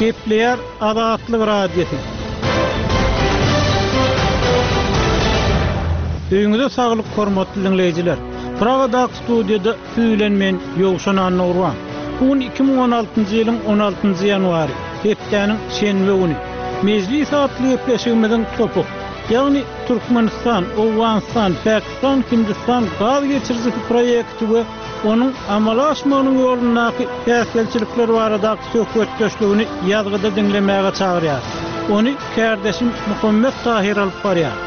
Gepleýär Azatlyk Radiosy. Öýüňize saglyk hormatly diňleýjiler. Pragadaky studiýada siz bilen men Ýowşan Annagurban. Bu gün 2016-njy ýylyň 16-njy ýanwary, hepdäniň şenbe güni. Mejlis atly gepleşigimiziň topuk, ýagny Türkmenistan, Owganystan, Pakistan, Hindistan gaz geçirijisi proýekti we onuň amala aşmagynyň ýolundaky päsgelçilikler baradaky söhbetdeşligini ýazgyda diňlemäge çagyrýar. Ony kärdeşim Muhammet Tahyr alyp barýar.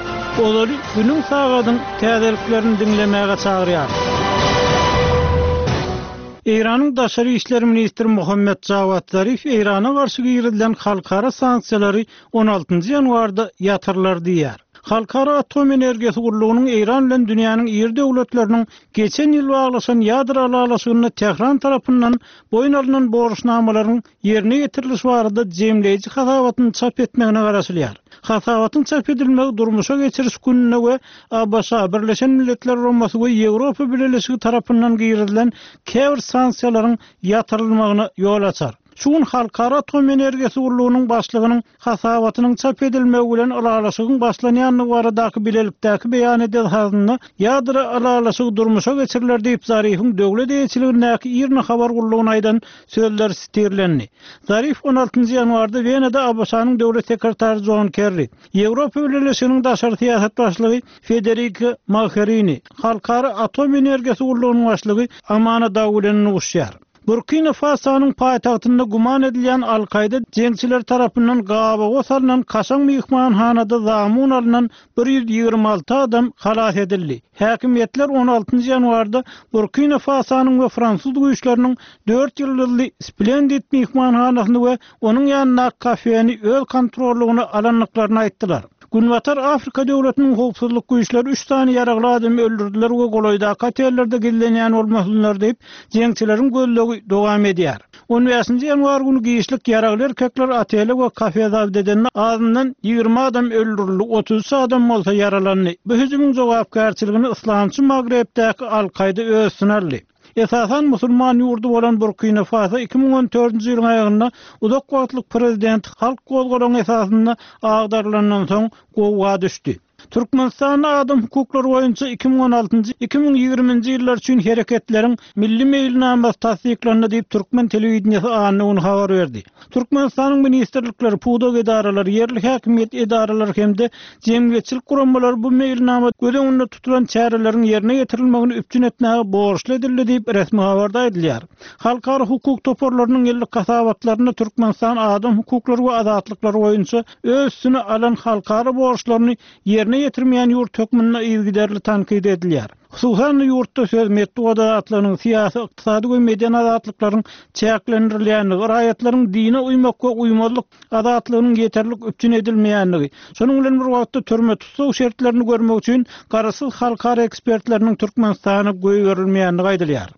Ozaly günüň sagadyň täzeliklerini diňlemäge çagyrýar. Eýranyň daşary işler ministri Muhammet Jawad Zarif Eýrana garşy girizilen halkara sanksiýalary on altynjy ýanwarda ýatyrylar diýýär. Halkara atom energiýasy gullugynyň Eýran bilen dünýäniň iri döwletleriniň geçen ýyl baglaşan ýadro ylalaşygynda Tähran tarapyndan boýun alnan borçnamalaryň ýerine ýetirilişi barada jemleýji hasabatyny çap etmegine garaşylýar. Hasabatyň çap edilmegi durmuşa geçiriş gününe we ABŞ, Birleşen Milletler Guramasy we Ýewropa Bileleşigi tarapyndan girizilen käbir sanksiýalaryň ýatyrylmagyna ýol açar. Şu gün Halkara atom energiýasy gullugynyň başlygynyň hasabatynyň çap edilmegi bilen ylalaşygyň başlanýandygy baradaky bilelikdäki beýan esasynda ýadro ylalaşygy durmuşa geçiriler diýip Zarifiň döwlet eýeçiligindäki IRNA habar gullugyna aýdan sözleri sitirlendi. Zarif on altynjy ýanwarda Wenada ABŞ-nyň döwlet sekretary Jon Kerri, Ýewropa Bileleşiginiň daşary syýasat başlygy Federika Mogherini, Halkara atom energiýasy gullugynyň başlygy Amana Dag bilen duşuşýar. Burkina Fasonyň paýtagtynda güman edilýän Al-Kaýda jeňçileri tarapyndan gabawa salnan kaşaň myhmanhanada zamun alnan 126 adam halas edildi. Häkimiýetler on altynjy ýanwarda Burkina Fasonyň we fransuz güýçleriniň dört ýyldyzly Splendid myhmanhanasyny we onuň ýanyndaky kafeni öz kontrollygyna alandyklaryny aýtdylar. Günbatar Afrika döwletiniň howpsuzlyk güýçleri üç sany ýaragly adamy öldürdiler we golaýdaky otellerde gizlenýän bolmasynlar diýip, jeňçileriň gözlegi dowam edýär. On bäşinji ýanwar güni giçlik ýaragly erkekler otele we kafe zabt edende azyndan 20 adam öldürildi, 33 adam bolsa ýaralandy. Bu hüjümiň jogapkärçiligini yslamçy Magrebdäki Al-Kaýda öz üstüne aldy. Esasan musulman ýurdy bolan Burkina Faso 2014-nji ýylyň aýagynda uzak wagtlyk prezident halk gozgalaňy esasynda agdarylandan soň gowga düşdi. Türkmenistanda adam hukuklary boýunça 2016-njy, 2020-nji ýyllar üçin hereketleriň milli meýilnamasy tassyklandy diýip, türkmen telewideniýesi anna güni habar berdi. Türkmenistanyň ministrlikleri, pudak edaralary, ýerli häkimiýet edaralary hem-de jemgyýetçilik guramalary bu meýilnamada göz öňünde tutulan çäreleriň ýerine ýetirilmegini üpjün etmäge borçly edildi diýip, resmi habarda aýdylýar. Halkara hukuk toparlarynyň ýyllyk hasabatlarynda Türkmenistan adam hukuklary we azatlyklary boýunça öz üstüne alan halkara borçlaryny ýerine ýetirmeýän ýurt hökmünde yzygiderli tankyt edilýär. Hususan-da, ýurtda söz, metbugat azatlygynyň, syýasy, ykdysady we medeni azatlyklaryň çäklendirilýändigi, raýatlaryň dine uýmak we uýmazlyk azatlygynyň ýeterlik üpjün edilmeýändigi, şonuň bilen bir wagtda türme-tussag şertlerini görmek üçin garaşsyz halkara ekspertleriniň Türkmenistana goýberilmeýändigi aýdylýar.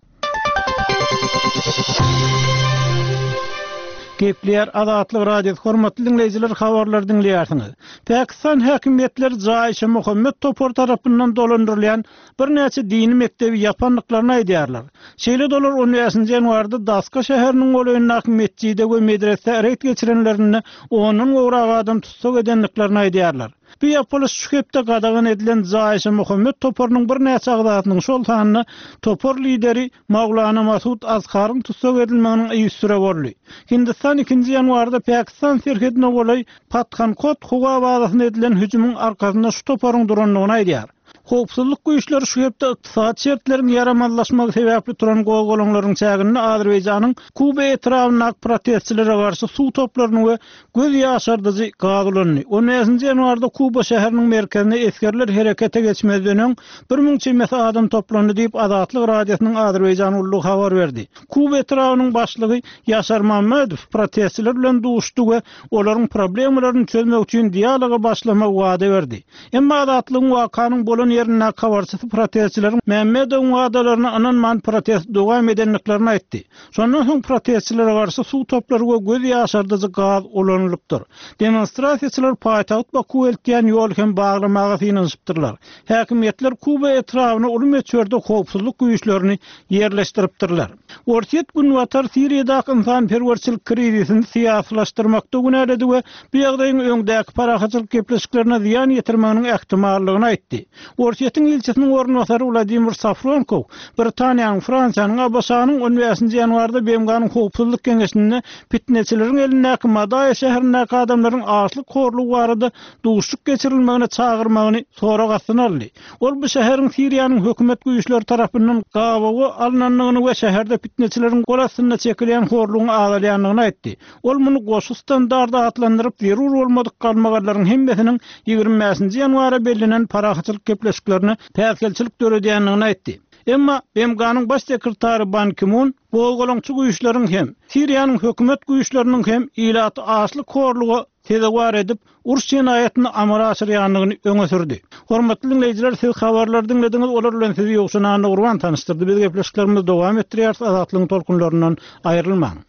Gepleýär Azatlyk Radiosy, hormatly diňleýjiler habarlary diňleýärsiňiz. Pakistan häkimiýetleri Jaýşe-Muhammet topary tarapyndan dolandyrylýan birnäçe dini mekdebi ýapandyklaryny aýdýarlar. Şeýle-de olar on bäşinji ýanwarda Daska şäheriniň golaýyndaky metjide we medresä reýd geçirenlerinde ondan gowrak adam tussag edendiklerini aýdýarlar. Bu ýapylyş şu hepde gadagan edilen Jaýşe-Muhammet toparynyň birnäçe agzasynyň, şol sanda topar lideri Maulana Masud Azharyň tussag edilmeginiň yzysüre boldy. Hindistan ikinji ýanwarda Pakistan serhedine golaý Pathankot howa bazasyna edilen hüjümiň arkasynda şu toparyň durandygyny aýdýar. Howpsuzlyk güýçleri şu hepde ykdysady şertleriň ýaramazlaşmagy sebäpli turan gozgalaňlaryň çäginde Azerbaýjanyň Kuba etrabyndaky protestçilere garşy suw toplaryny we göz ýaşardyjy gaz ulandy. On bäşinji ýanwarda Kuba şäheriniň merkezinde esgerler herekete geçmezden öň, 1000 çemesi adam toplandy diýip, Azatlyk Radiosynyň Azerbaýjan gullugy habar berdi. Kuba etrabynyň başlygy Ýaşar Mammedow protestçiler bilen duşuşdy we olaryň problemalaryny çözmek üçin dialoga başlamagy wada berdi. Emma Azatlygyň wakanyň bolan. ýerindäki habarçysy protestçileriň Mämmedowyň wadalaryna ynanman protesti dowam edendiklerini aýtdy. Şondan soň protestçilere garşy suw toplary we göz ýaşardyjy gaz ulanylypdyr. Demonstrasiýaçylar paýtagt Bakuwa eltýän ýoly hem baglamaga synanyşypdyrlar. Häkimiýetler Kuba etrabyna uly möçberde howpsuzlyk güýçlerini ýerleşdiripdirler. Orsýet Günbatar Siriýadaky ynsanperwerçilik krizisini syýasylaşdyrmakda günäledi we bu ýagdaýyň öňdäki parahatçylyk gepleşiklerine zyýan ýetirmeginiň ähtimallygyny aýtdy. Orsýetiň ilçisiniň orunbasary Wladimir Safronkow Britaniýanyň, Fransiýanyň, ABŞ-nyň on bäşinji ýanwarda BMG-niň Howpsuzlyk Geňeşinde pitneçileriň elindäki Madaýa şäherindäki adamlaryň açlyk horlugy barada duşuşyk geçirilmegine çagyrmagyny sorag astyna aldy. Ol bu şäheriň Siriýanyň hökümet güýçleri tarapyndan gabawa alnandygyny we şäherde pitneçileriň gol astynda çekilýän horlugyň azalýandygyny aýtdy. Ol muny goşgy standardy atlandyryp, zerur bolmadyk galmagallaryň hemmesiniň 25 nji ýanwara bellenen parahatçylyk gepleşiklerine päsgelçilik döredýändigini aýtdy. Emma BMG-niň Baş sekretary Ban Ki-mun gozgalaňçy güýçleriň hem, Siriýanyň hökümet güýçleriniň hem ilaty açlyk-horluga sezewar edip, uruş jenaýatyny amala aşyrýandygyny öňe sürdi. Hormatly diňleýjiler, siz habarlary diňlediňiz, olar bilen sizi Ýowşan Annagurban tanyşdyrdy. Biz gepleşiklerimizi dowam etdirýäris, Azatlygyň tolkunlaryndan aýrylmaň.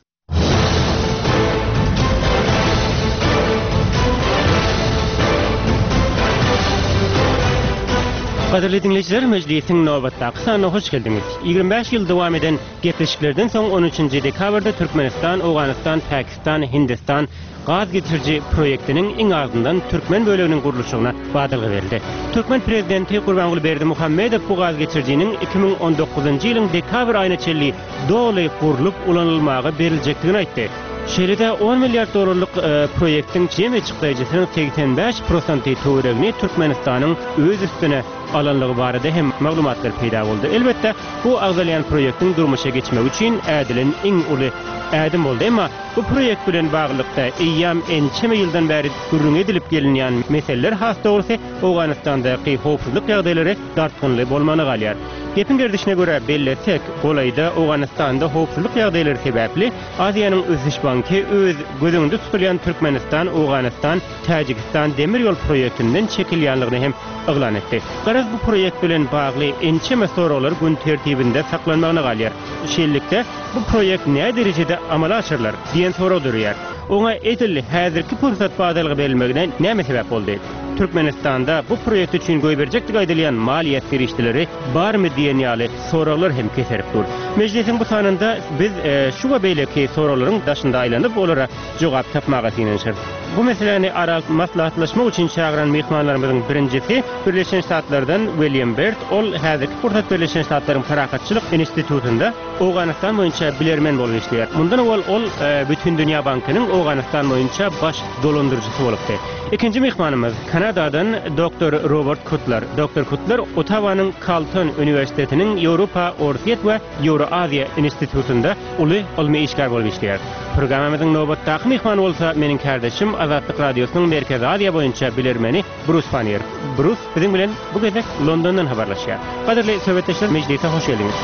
Gadyrly diňleýjiler, mejlisiň nobatdaky sanyna hoş geldiňiz. 25 ýyl dowam eden gepleşiklerden soň 13-nji dekabrda Türkmenistan, Owganystan, Pakistan, Hindistan, gaz geçiriji proýektiniň iň azyndan türkmen böleginiň gurluşygyna badalga berildi. Türkmen prezidenti Gurbanguly Berdimuhamedow bu gaz geçirijiniň 2019-njy ýylyň dekabr aýyna çenli doly gurlup ulanylmaga beriljekdigini aýtdy. Şeýle-de on milliard dollarlyk proýektiň jemi çykdaýjysynyň 85 prosenty töweregini Türkmenistanyň öz üstüne alanlygy barada hem maglumatlar peýda boldy. Elbetde, bu agzalýan proýektiň durmuşa geçmegi üçin ädilen iň uly ädim boldy. Emma Bu proýekt bilen baglylykda, eýýäm ençeme ýyldan bäri gürrüňi edilip gelinýän meseleler, has dogrusy, Owganystandaky howpsuzlyk ýagdaýlary dartgynly bolmagyna galýar. Gepiň gerdişine görä bellesek, golaýda Owganystanda howpsuzlyk ýagdaýlary sebäpli Aziýanyň Ösüş banky öz göz öňünde tutulýan Türkmenistan, Owganystan, Täjigistan demir ýol proýektinden çekilýänligini hem yglan etdi. Garaz, bu proýekt bilen bagly ençeme soraglar gün tertibinde saklanmagyna galýar. Şeýlelikde, bu proýekt näderejede amala aşyrylar? diýen sorag döreýär. Oňa edil häzirki pursat badalga berilmegine näme sebäp boldy? Türkmenistanda bu proýekt üçin goýberjekdigi aýdylýan maliýe serişdeleri barmy diýen ýaly soraglar hem keserip dur. Mejlisiň bu sanynda biz şu we beýleki soraglaryň daşynda aýlanyp, olara jogap tapmaga synanyşarys. Bu meseläni ara alyp maslahatlaşmak üçin çagyran myhmanlarymyzyň birinjisi Birleşen Ştatlardan William Bert, ol häzirki pursat Birleşen Ştatlaryň Parahatçylyk institutynda Owganystan boýunça bilermen bolup işleýär. Mundan owal ol Bütindünýä bankynyň Owganystan boýunça baş dolandyryjysy bolupdy. Ikinji myhmanymyz Kanadadan doktor Robert Kutler. Doktor Kutler Ottawanyň Kalton uniwersitetiniň Ýewropa, Orsýet we Ýewroaziýa institutynda uly ylmy işgär bolup işleýär. Programmamyzyň nobatdaky myhmany bolsa meniň kärdeşim Azatlyk Radiosynyň Merkezi Aziýa boýunça bilermeni Brus Panniýer. Brus biziň bilen bu gezek Londondan habarlaşýar. Gadyrly söhbetdeşler mejlise hoş geldiňiz.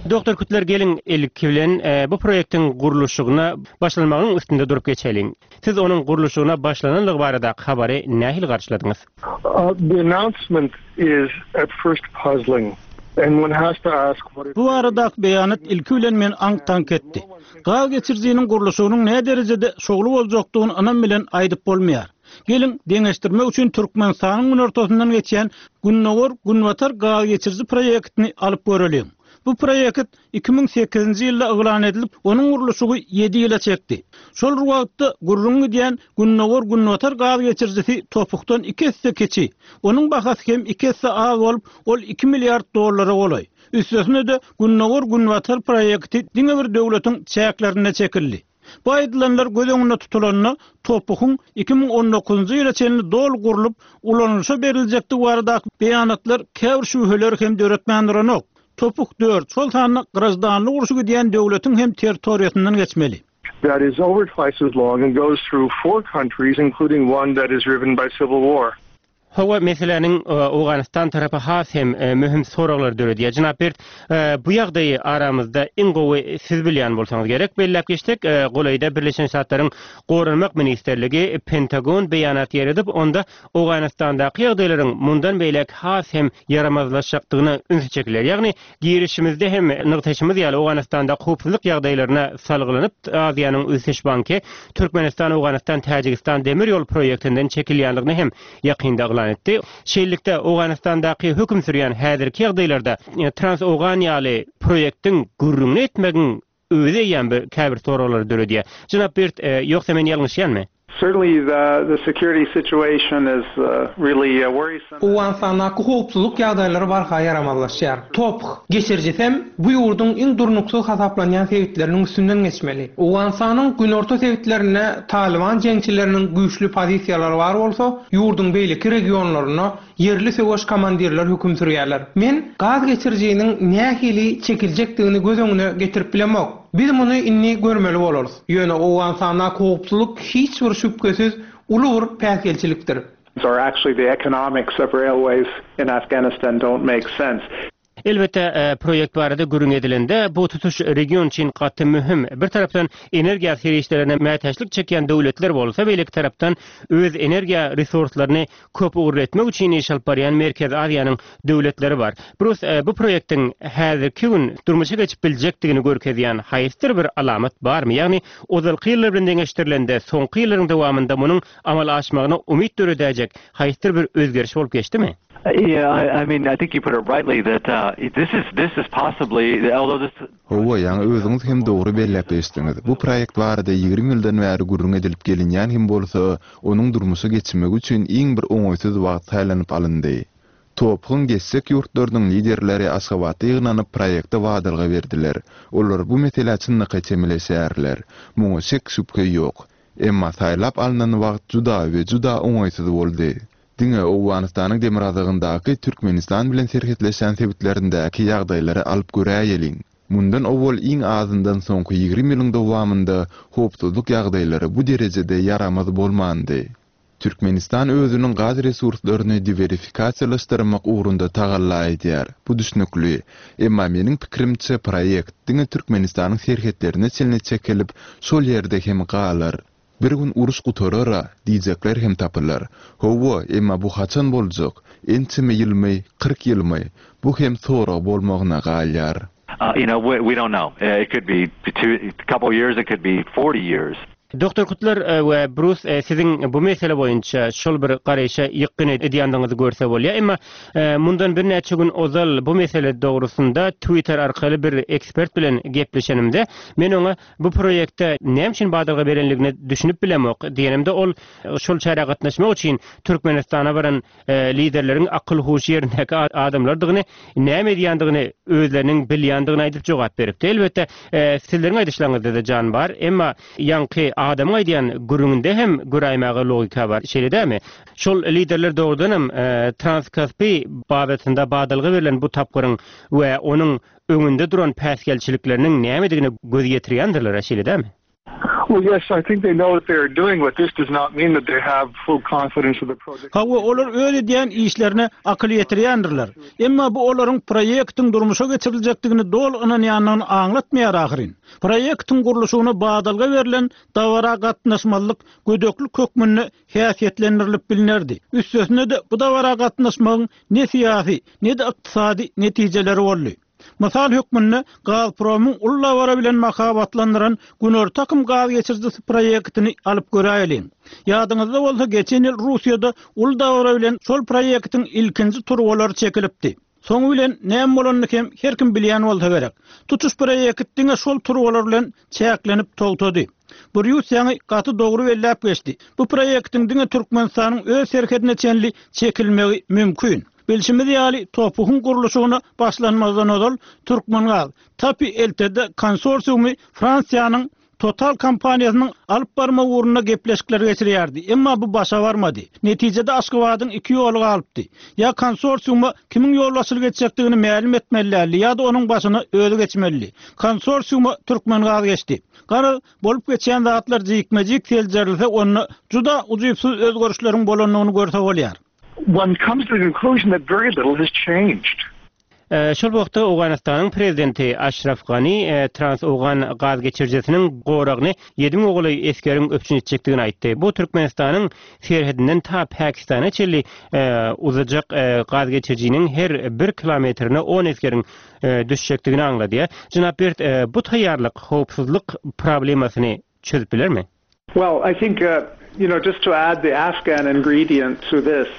Doktor Kutler geliň ilki bilen bu proýektiň gurluşygyna başlanmagynyň üstünde durup geçeliň. Siz onuň gurluşygyna başlananlygy baradaky habary nähili garşyladyňyz? The announcement is at first puzzling and one has to ask what it Bu baradaky beýanat ilki bilen meni aňk-taňk etdi. Gaz geçirijiniň gurluşygynyň näderejede şowly boljakdygyny ynam bilen aýdyp bolmaýar. Geliň, deňeşdirmek üçin Türkmenistanyň günortasyndan geçýän Gündogar-Günbatar gaz geçiriji proýektini alyp göreliň. Bu proýekt 2008-nji ýylda yglan edilip, onuň gurluşygy ýedi ýyla çekdi. Şol bir wagtda, gürrüňi gidýän Gündogar-Günbatar gaz geçirijisi topukdan iki esse kiçi. Onuň bahasy hem iki esse az bolup, ol iki milliard dollara golaý. Üstesine-de, Gündogar-Günbatar proýekti diňe bir döwletiň çäklerinde çekildi. Bu aýdylanlar göz öňünde tutulanda, topuhyň 2019-njy ýyla çenli doly gurlup, ulanylyşa beriljekdigi baradaky beýanatlar käbir şübheleri hem döretmän duranok. Topuk dört, şol sanda graždanlyk urşy gidýän döwletiň hem territoriýasyndan geçmeli. That is over twice as long and goes through four countries including one that is riven by civil war. Hawa, meseläniň Owganystan tarapy has hem möhüm soraglary döredýär. Jenap Bert, bu ýagdaýy aramyzda iň gowy siz bilýän bolsaňyz gerek. Belläp geçsek, golaýda Birleşen Ştatlaryň Goranmak ministrligi, Pentagon beýanat ýaýradyp, onda Owganystandaky ýagdaýlaryň mundan beýläk has hem ýaramazlaşjakdygyna ünsi çekilýär. Ýagny, girişimizde hem nygtaýşymyz ýaly, Owganystandaky howpsuzlyk ýagdaýlaryna salgylanyp, Aziýanyň ösüş banky Türkmenistan-Owganystan-Täjigistan demir ýol proýektinden çekilýändigini hem ýakynda yglan etdi. Şeýlelikde, Owganystandaky höküm sürýän häzirki ýagdaýlarda Trans-Owgan ýaly proýektiň gürrüňini etmegiň özi eýýäm bir käbir soraglary döredýär. Jenap Birt, ýogsa men ýalňyşýanmy? Certainly the security situation is really worrisome. Owganystandaky howpsuzlyk ýagdaýlary barha ýaramazlaşýar. TOPH geçirijisem bu ýurduň iň durnuksyz hasaplanýan sebitleriniň üstünden geçmeli. Owganystanyň günorta sebitlerinde Talyban jeňçileriniň güýçli pozisiýalary bar bolsa, ýurduň beýleki regionlarynda ýerli söweş komandirler höküm sürýärler. Men gaz geçirijiniň nähili çekiljekdigini göz öňüne getirip bilemok. Biz muny indi görmeli bolarys. Ýöne Owganystandaky howpsuzlyk hiç bir şübhesiz uly bir päsgelçilikdir. Or actually the economics of railways in Afghanistan don't make sense. Elbetde, proýekt barada gürrüň edilende, bu tutuş region üçin gaty möhüm. Bir tarapdan, energiýa serişdelerine mätäçlik çekýän döwletler bolsa, beýleki tarapdan, öz energiýa resurslaryny köp ugurly etmek üçin iş alyp barýan Merkezi Aziýanyň döwletleri bar. Brus, bu proýektiň häzirki gün durmuşa geçip biljekdigini görkezýän haýsydyr bir alamat barmy? Ýagny, ozalky ýyllar bilen deňeşdirilende, soňky ýyllaryň dowamynda munuň amala aşmagyna umyt döredäýjek haýsydyr bir özgeriş bolup geçdimi? Hawa, ýaňy özüňiz hem dogry belläp geçdiňiz. Bu proýekt barada 20 ýyldan bäri gürrüň edilip gelinýän hem bolsa, onuň durmuşa geçmegi üçin iň bir oňaýsyz wagt saýlanyp alyndy. TOPH-yň geçjek ýurtlarynyň liderleri Aşgabatda ýygnanyp proýekte badalga berdiler. Olar bu meselä çynlakaý çemeleşýärler. Muňa şek-şübhe ýok. Emma saýlap alnan wagt juda we juda oňaýsyz boldy. Diňe Owganystanyň demirgazygyndaky Türkmenistan bilen serhetleşýän sebitlerindäki ýagdaýlary alyp göräýeliň. Mundan owal iň azyndan soňky 20 ýylyň dowamynda howpsuzlyk ýagdaýlary bu derejede ýaramaz bolmandy. Türkmenistan özüniň gaz resurslaryny diwersifikasiýalaşdyrmak ugrunda tagalla edýär. Bu düşnükli. Emma meniň pikirimçe proýekt diňe Türkmenistanyň serhetlerine çenli çekilip, şol ýerde hem galar. Bir gün uruş gutarar-a diýjekler hem tapylar. Hawa, emma bu haçan boljak? Ençeme ýylmy, 40 ýylmy? Bu hem sorag bolmagyna galýar. You know, we don't know. It could be two, couple years, it could be 40 years. Doktor Kutlar we Brus siziň bu mesele boýunça şol bir garaýşa ýykgyn edýändigiňizi görse bolýar. Emma mundan birnäçe gün ozal bu mesele dogrusynda Twitter arkaly bir ekspert bilen gepleşenimde, men oňa Bu proýekte näme üçin badalga berenligine düşünip bilemok diýenimde ol şol çärä gatnaşmak üçin Türkmenistana baran liderleriň akyl-huşy ýerindäki adamlardygyny, näme edýändigini özleriniň bilýändigini aýdyp jogap beripdi. Elbetde, sizleriň aýdyşlaryňyzda-da jan bar, emma ýaňky adamyň aýdýan gürrüňinde hem göräýmäge logika bar, şeýle dälmi? Şol liderler dogrudanam Transkaspi babatynda badalga berlen bu tapgyryň we onuň öňünde duran päsgelçilikleriniň nämedigine göz ýetirýändirler-ä, şeýle dälmi? Well yes, I think they know what they are doing, but this does not mean that they have full confidence of the project. Hawa, olar öz edýän işlerine akyl ýetirýändirler. Emma bu olaryň proýektiň durmuşa geçiriljekdigine doly ynanýandygyny aňlatmaýar ahyryn. Proýektiň gurluşygyna badalga berlen dabara gatnaşmazlyk gödeklik hökmünde häsiýetlendirilip bilnerdi. Üstesine-de, bu dabara gatnaşmagyň ne syýasy, ne-de ykdysady netijeleri boldy. Mysal hökmünde Gazpromyň uly dabara bilen mahabatlandyran Günorta akym gaz geçirijisi proýektini alyp göräýeliň. Ýadyňyzda bolsa, geçen ýyl Russiýada uly dabara bilen şol proýektiň ilkinji turbalary çekilipdi. Soňy bilen näme bolanyny hem her kim bilýän bolsa gerek. Tutuş proýekt diňe şol turbalar bilen çäklenip togtady. Brýus ýaňy gaty dogry belläp geçdi. Bu proýektiň diňe Türkmenistanyň öz serhedine çenli çekilmegi mümkin. Bilşimiz ýaly, TOPH-yň gurluşygyna başlanmazdan ozal Türkmengaz, TAPI LTD konsorsiumy Fransiýanyň Total kompaniýasynyň alyp barma ugrunda gepleşikler geçirýärdi, emma bu başa barmady. Netijede Aşgabadyň iki ýoly galypdy. Ýa konsorsiuma kimiň ýolbaşçylyk etjekdigini mälim etmeli däldi, ýa-da onuň başyna özi geçmelidi. Konsorsiuma Türkmengaz geçdi. Garaz, bolup geçýän zatlar jikme-jik seljerilse, onda juda ujypsyz özgerişleriň bolandygyny görse bolýar. One comes to the conclusion that very little has changed. Şol wagtda Owganystanyň prezidenti Aşraf Gani Trans-Owgan gaz geçirijisiniň goragyny 7000 golaý esgeriň üpjün etjekdigini aýtdy. Bu Türkmenistanyň serhedinden ta Pakistana çenli uzajak gaz geçirijiniň her bir kilometrine on esgeriň düşjekdigini aňladýar. Jenap Bert, bu taýýarlyk howpsuzlyk problemasyny çözüp bilermi? Well, I think, you know, just to add the Afghan ingredient to this,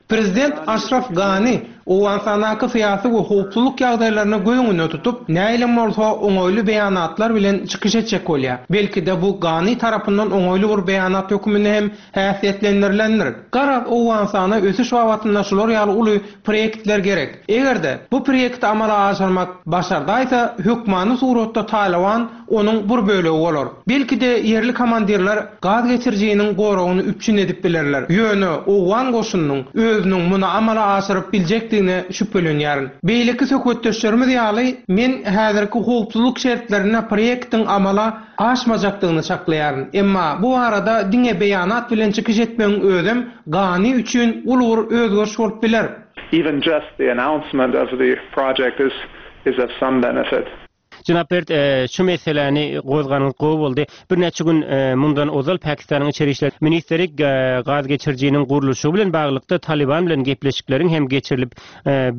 Prezident Aşraf Gani Owganystandaky syýasy we howpsuzlyk ýagdaýlaryny göz öňünde tutup, nähilem bolsa oňaýly beýanatlar bilen çykyş etjek bolýar. Belki-de bu Gani tarapyndan oňaýly bir beýanat hökmünde hem häsiýetlendirilendir. Garaz, Owganystana ösüş babatynda şular ýaly uly proýektler gerek. Eger-de, bu proýekti amala aşyrmak başardaýsa, hökmany suratda Talyban onuň bir bölegi bolar. Belki-de, ýerli komandirler gaz geçirijiniň goragyny üpjün edip bilerler. Ýöne owgan goşunynyň özüniň muny amala aşyryp biljekdigine şübhelenýärin. Beýleki söhbetdeşlerimiz ýaly, men häzirki howpsuzlyk şertlerinde proýektiň amala aşmajakdygyny çaklaýaryn. Emma bu barada diňe beýanat bilen çykyş etmegiň özem Gani üçin uly bir özgeriş bolup biler. Even just the announcement of the project is is of some benefit. Jenap Bert, şu meseläni gozganyňyz gowy boldy. Birnäçe gün mundan ozal Pakistanyň içeri işler ministri gaz geçirijiniň gurluşygy bilen baglylykda Talyban bilen gepleşikleriň hem geçirilip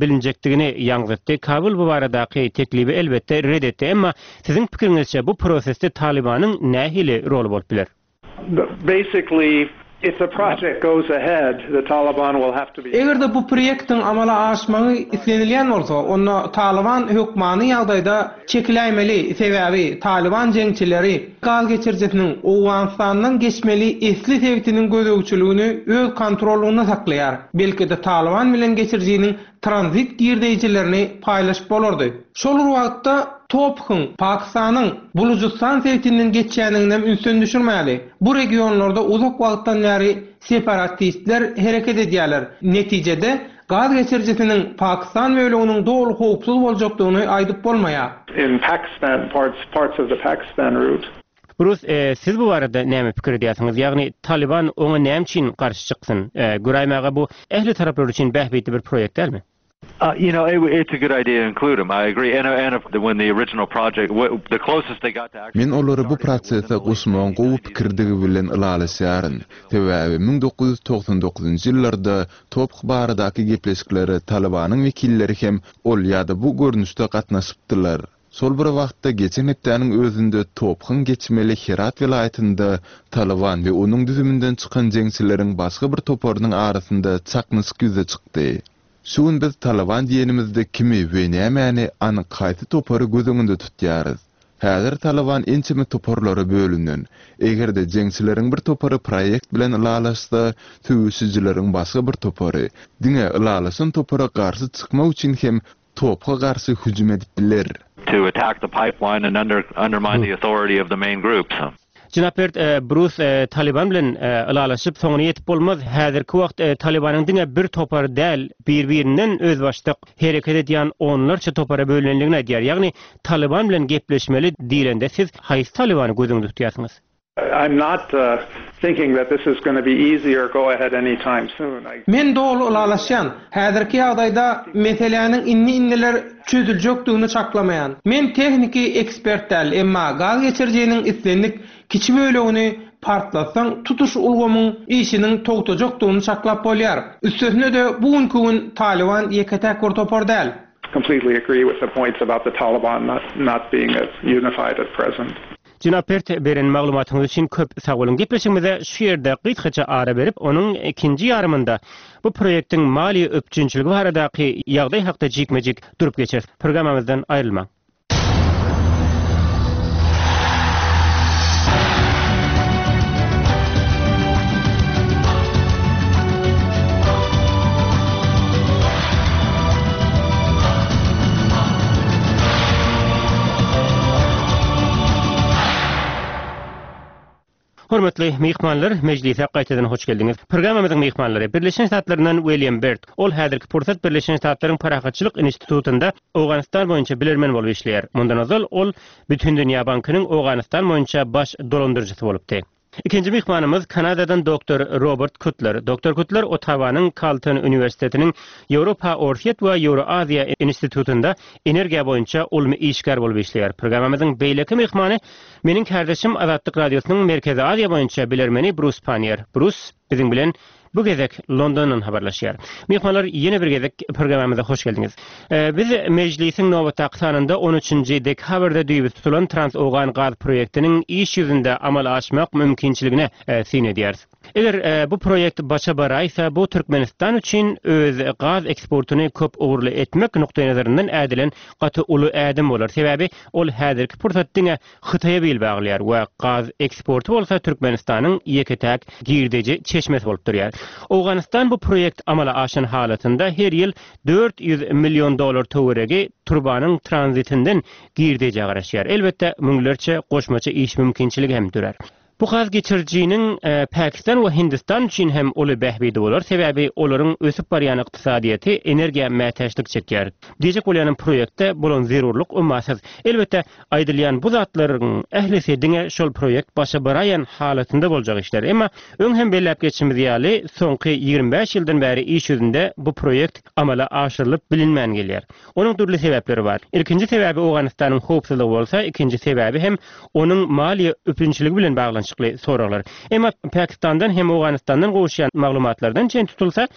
bilinjekdigini ýaňzytdy. Kabul bu baradaky teklibi elbetde red etdi. Emma Siziň pikiriňizçe bu prosesde Talybanyň nähili roly bolup biler? Basically, if the project goes ahead, the Taliban will have to be. Eger-de bu proýektiň amala aşmagy islenilýän bolsa, onda Talyban hökmany ýagdaýda çekiläýmeli, sebäbi Talyban jeňçileri gaz geçirijisiniň Owganystandan geçmeli esli sebitiniň gözegçiligini öz kontrollygynda saklaýar. Belki-de Talyban bilen geçirijiniň tranzit girdeýjilerini paýlaşyp bolardy. Şol bir wagtda TOPH-yň Pakistanyň Bulujystan sebitinden geçýändiginem ünsden düşürmäli. Bu regionlarda uzak wagtdan bäri separatistler hereket edýärler. Netijede, gaz geçirijisiniň Pakistan böleginiň doly howpsuz boljakdygyny aýdyp bolmaýar. In Pakistan parts parts of the Pakistan route. Brus, siz bu barada näme pikir edýärsiňiz? Ýagny Talyban oňa näme üçin garşy çyksyn? Göräýmäge bu ähli taraplar üçin bähbitli bir proýekt dälmi? You know, it's a good idea to include them. I agree. And and when the original project, the closest they got to actually Men olary bu prosese goşmagyň gowy pikirdigi bilen ylalaşýaryn. Sebäbi 1999-njy ýyllarda TOPH baradaky gepleşiklere Talybanyň wekilleri hem ol ýa-da bu görnüşde gatnaşypdylar. Şol bir wagtda, geçen hepdäniň özünde TOPH-yň geçmeli Herat welaýatynda Talyban we onuň düzüminden çykan jeňçileriň başga bir toparynyň arasynda çaknyşyk ýüze çykdy. Şu gün biz Talyban diýenimizde kimi we nämäni, anyk haýsy topary göz öňünde tutýarys? Häzir Talyban ençeme toparlara bölünen. Eger-de jeňçileriň bir topary proýekt bilen ylalaşsa, söweşijileriň başga bir topary, diňe ylalaşan topara garşy çykmak üçin hem TOPH-a garşy hüjüm edip biler. To attack the pipeline and undermine the authority of the main groups. Jenap Bert, Brus Talyban bilen ylalaşyp soňuna ýetip bolmaz. Häzirki wagt Talybanyň diňe bir topary däl, bir-birinden özbaşdak hereket edýän onlarça topara bölünendigini aýdýar. Ýagny Talyban bilen gepleşmeli diýlende siz haýsy Talybany göz öňünde tutýarsyňyz? I'm not thinking that this is gonna be easy or go ahead any time soon. I. Men doly ylalaşýan. Häzirki ýagdaýda meseläniň indi-indiler çözüljekdigini çaklamaýan. Men tehniki ekspert däl, emma gaz geçirijiniň islendik kiçi bölegini partlatsaň tutuş ulgamyň işiniň togtajakdygyny çaklap bolýar. Üstesine-de bu günki gün Talyban ýeke-täk bir topar däl. Completely agree with the points about the Taliban not not being unified at present. Jenap Bert, beren maglumatyňyz üçin köp sag boluň. Gepleşigimize şu ýerde gysgaça ara berip, onuň ikinji ýarymynda bu proýektiň maliýe üpjünçiligi baradaky ýagdaý hakda jikme-jik durup geçeris. Programmamyzdan aýrylmaň. Hormatly myhmanlar, mejlise gaýtadan hoş geldiňiz. Programmamyzyň myhmanlary, Birleşen Ştatlaryndan William Bert. Ol häzirki pursat Birleşen Ştatlaryň Parahatçylyk institutynda Owganystan boýunça bilermen bolup işleýär. Mundan ozal ol Bütindünýä bankynyň Owganystan boýunça baş dolandyryjysy bolupdy. Ikinji myhmanymyz Kanadadan doktor Robert Kutler. Doktor Kutler Ottawanyň Kalton uniwersitetiniň Ýewropa-Orsýet we Ýewroaziýa institutynda energiýa boýunça ylmy işgär bolup işleýär. Programmamyzyň beýleki myhmany meniň kärdeşim Azatlyk Radiosynyň Merkezi Aziýa boýunça bilermeni Brus Panniýer. Brus biziň bilen Bu gezek Londondan habarlaşýar. Myhmanlar ýene bir gezek programmamyza hoş geldiňiz. Biz Mejlisiň nobatdaky sanynda on üçünji dekabrda düýbi tutulan Trans-Owgan gaz proýektiniň iş ýüzünde amala aşmak mümkinçiligine syn edýäris. Eger bu proýekt başa baraýsa, bu Türkmenistan üçin öz gaz eksportyny köp ugurly etmek nukdaýnazaryndan ädilen gaty uly ädim bolar. Sebäbi ol häzirki pursat diňe Hytaýa bil baglaýar we gaz eksporty bolsa Türkmenistanyň ýeke-täk girdeji çeşmesi bolup durýar. Owganystan bu proýekt amala aşan halatynda her ýyl 400 million dollar töweregi turbanyň tranzitinden girdejä garaşýar. Elbetde, müňlerçe goşmaça iş mümkinçiligi hem dörär. Bu gaz geçirijiniň Pakistan we Hindistan üçin hem uly bähbidi bolar, sebäbi olaryň ösüp barýan ykdysadyýeti energiýa mätäçlik çekýär. Diýjek bolýanym proýektde bolan zerurlyk ummasyz. Elbetde, aýdylýan bu zatlaryň ählisi diňe şol proýekt başa baraýan halatynda boljak işler. Emma öň hem belläp geçişimiz ýaly, soňky 25 ýyldan bäri iş ýüzünde bu proýekt amala aşyrylyp bilinmän gelýär. Onuň dürli sebäpleri bar. Ilkinji sebäbi Owganystanyň howpsuzlygy bolsa, ikinji sebäbi hem onuň maliýe üpjünçiligi bilen baglanyşykly soraglar. Emma Pakistandan hem Owganystandan gowuşýan maglumatlardan çen tutulsa,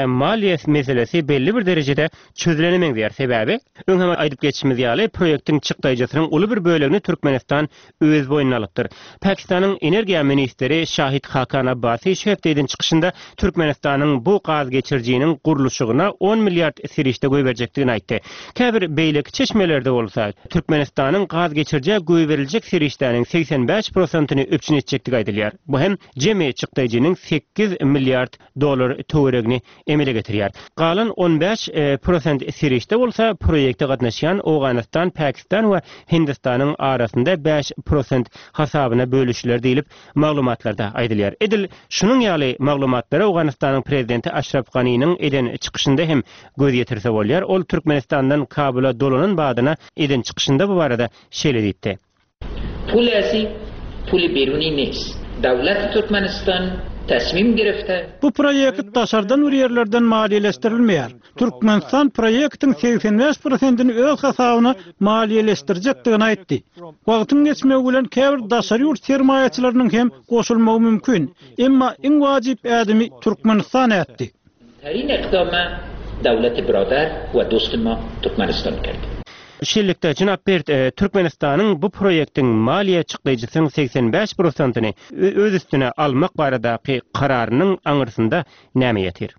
maliýe meselesi belli bir derejede çözülene meňzeýär. Sebäbi, öň hem aýdyp geçişimiz ýaly, proýektiň çykdaýjysynyň uly bir bölegini Türkmenistan öz boýnuna alypdyr. Pakistanyň energiýa ministri Şahid Hakan Abbasi şu hepde eden çykyşynda Türkmenistanyň bu gaz geçirijiniň gurluşygyna on milliard serişde goýberjekdigini aýtdy. Käbir beýleki çeşmelerde bolsa, Türkmenistanyň gaz geçirijä goýberiljek serişdäniň 85 prosentini üpjün etjekdigi aýdylýar. Bu hem jemi çykdaýjynyň sekiz milliard dollar töweregini emele getirýär. Galan 15 prosent serişde bolsa proýekte gatnaşýan Owganystan, Pakistan we Hindistanyň arasynda 5 prosent hasabyna bölüşiler diýlip, maglumatlarda aýdylýar. Edil şunuň ýaly maglumatlara Owganystanyň prezidenti Aşraf Ganiniň eden çykyşynda hem göz ýetirse bolýar. Ol Türkmenistandan Kabula dolanan badyna eden çykyşynda bu barada şeýle diýipdi. Pul ezi puli beruni nist. Dawlati Türkmenistan tasmim girifte. Bu proýekt daşardan bir ýerlerden maliýeleşdirilmeýär. Türkmenistan proýektiň 85 prosentini öz hasabyna maliýeleşdirjekdigini aýtdy. Wagtyň geçmegi bilen käbir daşary ýurt sermaýaçylarynyň hem goşulmagy mümkin. Emma iň wajyp ädimi Türkmenistan ätdi. Terin ekdama dawleti biradar we dosti ma Türkmenistan kerdi. Şeýlelikde, jenap Berd, Türkmenistanyň bu proýektiň maliýe çykdaýjysynyň 85 prosentini öz üstüne almak baradaky kararynyň aňyrsynda näme ýatyr?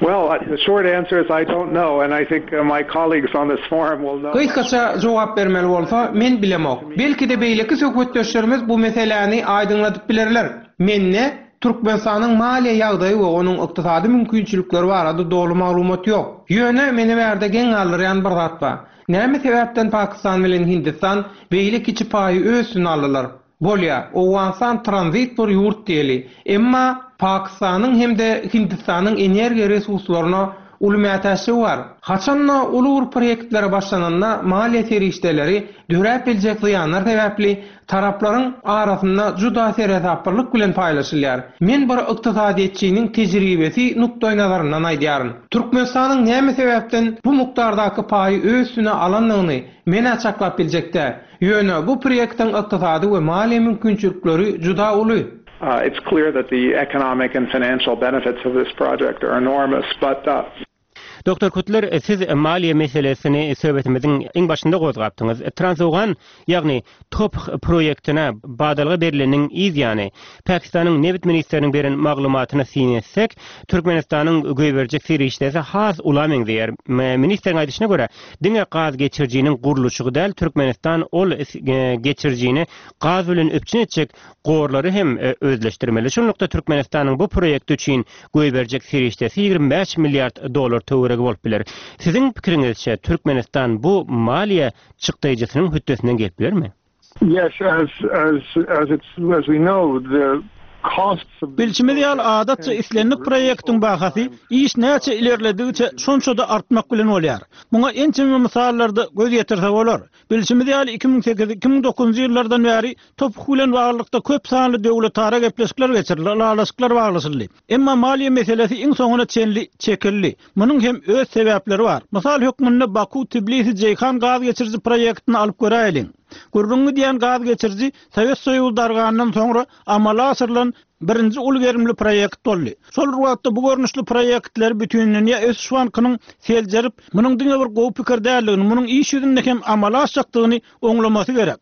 Well, the short answer is I don't know and I think my colleagues on this forum will know. Gysgaça jogap bermeli bolsa, men bilemok. Belki-de beýleki söhbetdeşlerimiz bu meseläni aýdyňladyp bilerler. Mende Türkmenistanyň maliýe ýagdaýy we onuň ykdysady mümkinçilikleri barada doly maglumat ýok. Ýöne meni bärde geň galdyrýan bir zat bar. Näme sebäpden Pakistan bilen Hindistan beýle kiçi paýy öz üstüne aldylar? Bolýa, Owganystan tranzit bir ýurt diýeli. Emma Pakistanyň hem-de Hindistanyň energiýa resurslaryna uly mätäçligi bar. Haçan-da uly bir proýektlere başlananda maliýe serişdeleri döräp biljek zyýanlar sebäpli taraplaryň arasynda juda seresaplylyk bilen paýlaşylýar. Men bir ykdysadyýetçiniň tejribesi nukdaýnazaryndan aýdýaryn. Türkmenistanyň näme sebäpden bu mukdardaky paýy öz üstüne alandygyny men-ä çaklap biljek däl. Ýöne bu proýektiň ykdysady we maliýe mümkinçilikleri juda uly. It's clear that the economic and financial benefits of this project are enormous, but. Doktor Kutler, siz maliýe meselesini söhbetimiziň iň başynda gozgapdyňyz. Transowgan, ýagny TOPH proýektine badalga berleniniň yz ýany, Pakistanyň nebit ministriniň beren maglumatyna syn etsek, Türkmenistanyň goýberjek serişdesi has ula meňzeýär. Ministriň aýdyşyna görä, diňe gaz geçirijiniň gurluşygy däl, Türkmenistan ol geçirijini gaz bilen üpjün etjek gorlary hem özleşdirmeli. Şunlukda Türkmenistanyň bu proýekti üçin goýberjek serişdesi 25 milliard dollar töweregi bolup biler. Siziň pikiriňizçe, Türkmenistan bu maliýe çykdaýjysynyň hötdesinden gelip bilermi? Yes, as as as it's as we know, the. Bilşimiz ýaly, adatça islendik proýektiň bahasy iş näçe ilerledigiçe şonça-da artmak bilen bolýar. Muňa ençeme mysallarda göz ýetirse bolar. Bilşimiz ýaly, 2008, 2009-njy ýyllardan bäri TOPH bilen baglylykda köp sanly döwletara gepleşikler geçirildi, ylalaşyklar baglaşyldy. Emma maliýe meselesi iň soňuna çenli çekildi. Munuň hem öz sebäpleri bar. Mysal hökmünde Baku-Tbilisi-Jeýhan gaz geçiriji proýektini alyp göräýeliň. Gürrüňi gidýän gaz geçiriji Sowet Soýuzy dargandan soňra amala aşyrylan birinji uly gerimli proýekt boldy. Şol bir wagtda bu görnüşli proýektleri Bütindünýä ösüş bankynyň seljerip, munuň diňe bir gowy pikir däldigini, munuň iş ýüzünde hem amala aşjakdygyny oňlamasy gerek.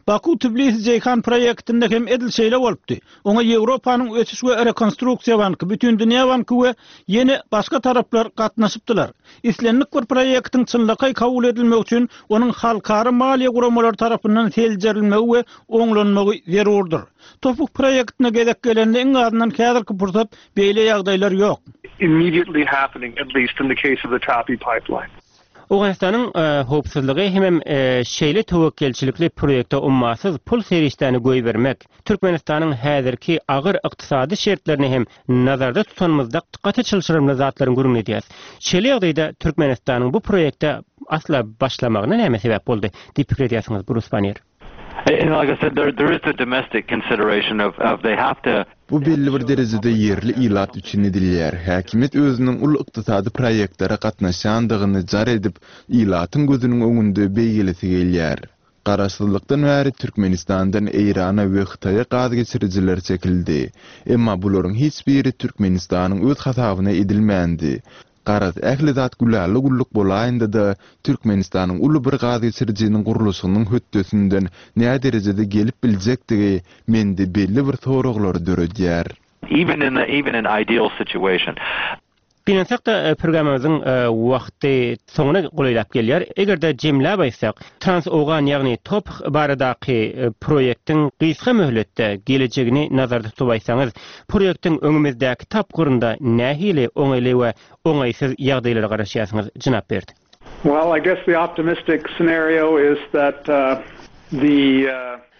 Baku-Tbilisi-Jeýhan proýektinde hem edil şeýle bolupdy. Oňa Ýewropanyň ösüş we rekonstruksiýa banky, Bütindünýä banky we ýene başga taraplar gatnaşypdylar. Islendik bir proýektiň çynlakaý kabul edilmegi üçin onuň halkara maliýe guramalary tarapyndan seljerilmegi we oňlanmagy zerurdyr. TOPH proýektine gezek gelende iň azyndan häzirki pursat beýle ýagdaýlar ýok. immediately happening, at least in the case of the TAPI pipeline. Owganystanyň howpsuzlygy hemem şeýle töwekgelçilikli proýekte ummasyz pul serişdäni goýbermek, Türkmenistanyň häzirki agyr ykdysady şertlerini hem nazarda tutanymyzda gaty çylşyrymly zatlaryň gürrüňini edýäris. Şeýle ýagdaýda Türkmenistanyň bu proýekte asla başlamagyna näme sebäp boldy diýip pikir edýärsiňiz, Brus Banner? Bu belli bir derejede ýerli ilat üçin edilýär. Häkimiýet özüniň uly ykdysady proýektlere gatnaşýandygyny jar edip, ilatyň gözüniň öňünde beýgelesi gelýär. Garaşsyzlykdan bäri Türkmenistandan Eýrana we Hytaýa gaz geçirijiler çekildi. Emma bularyň hiç biri Türkmenistanyň öz hasabyna edilmändi. Garaz, ähli zat gülala-güllük bolaýanda-da, Türkmenistanyň uly bir gaz geçirijiniň gurluşygynyň hötdesinden näderejede gelip biljekdigi mende belli bir soraglary döredýär. Even in the even in ideal situation. Gynansak-da, programmamyzyň wagty soňuna golaýlap gelýär. Eger-de jemläp aýtsak, Trans-Owgan, ýagny TOPH baradaky proýektiň gysga möhletde gelejegini nazarda tutup aýtsaňyz, proýektiň öňümizdäki tapgyrynda nähili oňaýly we oňaýsyz ýagdaýlara garaşýarsyňyz, jenap Berd? Well, I guess the optimistic scenario is that the.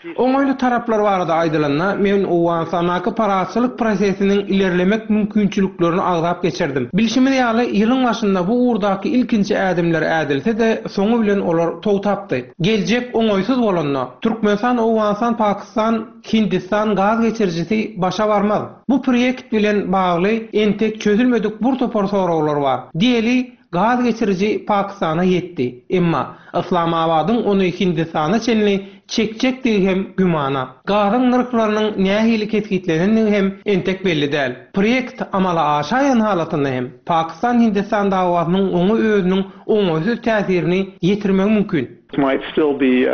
Oňaýly taraplar barada aýdylanda, men Owganystandaky parahatçylyk prosesiniň ilerlemek mümkinçiliklerini agzap geçerdim. Bilşimiz ýaly, ýylyň başynda bu ugurdaky ilkinji ädimler ädilse-de, soňy bilen olar togtapdy. Geljek oňaýsyz bolanda, Türkmenistan, Owganystan, Pakistan, Hindistan gaz geçirijisi başa barmaz. Bu proýekt bilen bagly entek çözülmedik bir topar soraglar bar. Diýeli, Gaz geçiriji Pakistana ýetdi. Emma Yslamabadyň ony Hindistana çenli çekjekdigi hem gümana. Gazyň nyrhlarynyň nähili kesgitlenendigi hem entek belli däl. Proýekt amala aşaýan halatynda hem Pakistan-Hindistan dawasynyň oňa özüniň oňaýsyz täsirini ýetirmegi mümkin. Might still be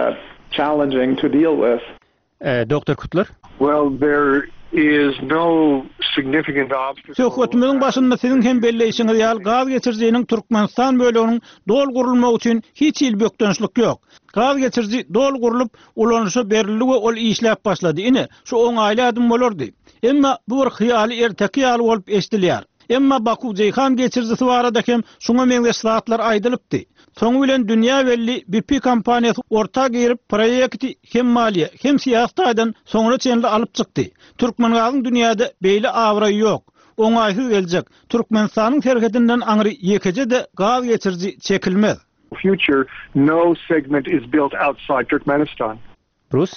challenging to deal with. Doktor Kutlar. Well, there is no significant obstacle. Söhbetimiziň başynda siziň hem belleýşiňiz ýaly, gaz geçirijiniň Türkmenistan böleginiň doly gurulmagy üçin hiç hili bökdençlik ýok. Gaz geçiriji doly gurlup, ulanyşa berildi we ol işläp başlady. Ine, şu oňaýly ädim bolardy. Emma bu bir hyýaly erteki ýaly bolup eşidilýär. Emma Baku-Jeýhan geçirijisi barada hem şuňa meňzeş zatlar aýdylypdy. Soňy bilen dünýä belli BP kompaniýasy orta girip, proýekti hem maliýe, hem syýasy taýdan soňuna çenli alyp çykdy. Türkmengazyň dünýäde beýle abraýy ýok. Oňaýsyz geljek, Türkmenistanyň serhedinden aňry ýekeje-de gaz geçiriji çekilmez. Future, no segment is built outside Turkmenistan. Brus?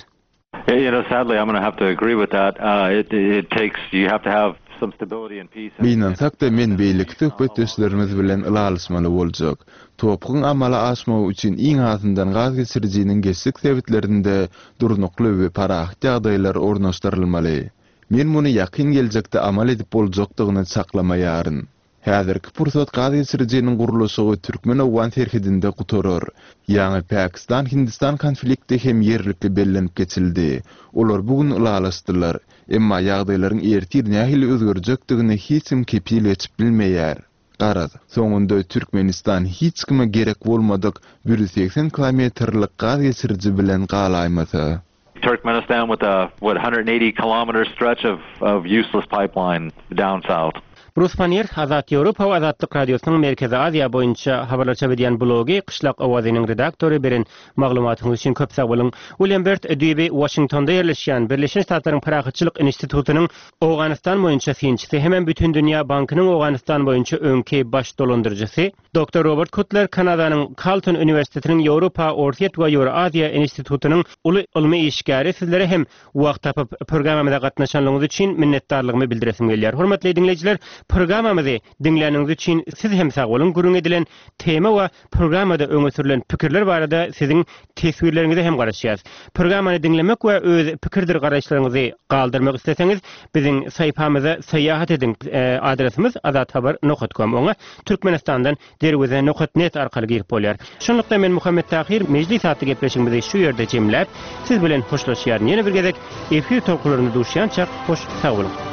You know, sadly, I'm gonna have to agree with that. It it takes you have to have some stability and peace. Gynansak-da, men beýleki söhbetdeşlerimiz bilen ylalaşmaly boljak. TOPH-yň amala aşmagy üçin iň azyndan gaz geçirijiniň geçjek sebitlerinde durnukly we parahat ýagdaýlar ornaşdyrylmaly. Men muny ýakyn geljekde amal edip boljakdygyny çaklamaýaryn. Häzirki pursat gaz geçirijiniň gurluşygy türkmen-owgan serhedinde gutarar. Ýaňy Pakistan-Hindistan konflikti hem ýerlikli bellenip geçildi. Olar bu gün ylalaşdylar. Emma ýagdaýlaryň ertir nähili özgerjekdigine hiç kim kepil geçip bilmeýär. Garaz, soňunda Türkmenistan hiç kime gerek bolmadyk 180 kilometrlik gaz geçiriji bilen galaýmasa. Turkmenistan with a what 180 kilometer stretch of of useless pipeline down south. Brus Pannier, Azat Ýewropa we Azatlyk Radiosynyň Merkezi Aziýa boýunça habarlar çap edýän blogy Gyşlak owazynyň redaktory beren maglumatyňyz üçin köp sag boluň. William Bert düýbi Waşingtonda ýerleşýän Birleşen Ştatlaryň Parahatçylyk institutynyň Owganystan boýunça synçysy hemem Bütindünýä bankynyň Owganystan boýunça öňki baş dolandyryjysy Doktor Robert Kutler Kanadanyň Kalton uniwersitetiniň Ýewropa, Orsýet we Ýewroaziýa institutynyň uly ylmy işgäri sizlere hem wagt tapyp programmamyza gatnaşanlygyňyz üçin minnetdarlygymy bildiresim gelýär. Hormatly diňleýjiler, programmamyzy diňläniňiz üçin siz hem sag boluň. Gürrüň edilen tema we programmada öňe sürlen pikirler barada siziň teswirleriňize hem garaşýas. Programmany diňlemek we öz pikirdir garaýyşlaryňyzy galdyrmak isleseňiz, biziň saýpamyza syýahat ediň. Adresimiz azathabar nokat kom. Oňa Türkmenistandan derweze nokat net arkaly girip bolýar. Şunlukda men Muhammet Tahyr Mejlis atly gepleşigimizi şu ýerde jemläp, siz bilen hoşlaşýaryn. Ýene bir gezek efir tolkunlarynda duşýançak hoş sag boluň.